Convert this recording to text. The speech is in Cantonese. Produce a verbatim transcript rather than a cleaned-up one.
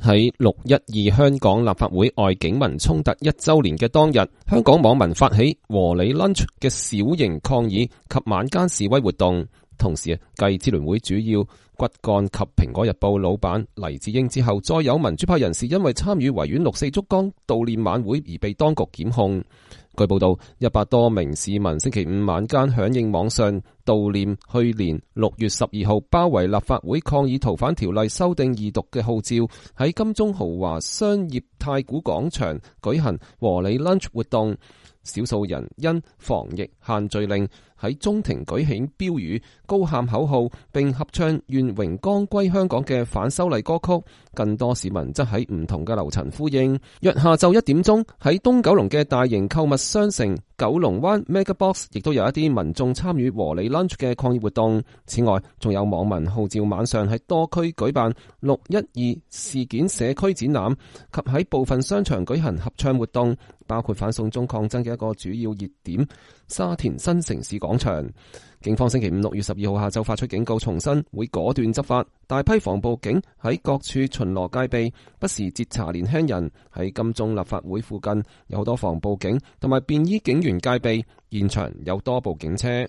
喺六一二香港立法會外警民衝突一周年嘅當日，香港網民發起和你 lunch 嘅小型抗議及晚間示威活動。同時，繼支聯會主要骨幹及蘋果日報老闆黎智英之後，再有民主派人士因為參與維園六四燭光悼念晚會而被當局檢控。據報道，一百多名市民星期五晚間響應網上悼念去年六月十二號包圍立法會抗議逃犯條例修訂二讀嘅號召，喺金鐘豪華商業太古廣場舉行和你 lunch 活動。少數人因防疫限聚令喺中庭舉起標語、高喊口號，並合唱願榮光歸香港嘅反修例歌曲。更多市民則喺唔同嘅樓層呼應。約下晝一點鐘，喺東九龍嘅大型購物商城九龍灣 Megabox 亦都有一啲民眾參與和你 lunch 嘅抗議活動。此外，仲有網民號召晚上喺多區舉辦六一二事件社區展覽，及喺部分商場舉行合唱活動，包括反送中抗爭嘅一個主要熱點沙田新城市廣場。警方星期五六月十二號下晝發出警告，重申會果斷執法。大批防暴警喺各處巡邏戒備，不時截查年輕人。喺金鐘立法會附近有好多防暴警同埋便衣警員戒備，現場有多部警車。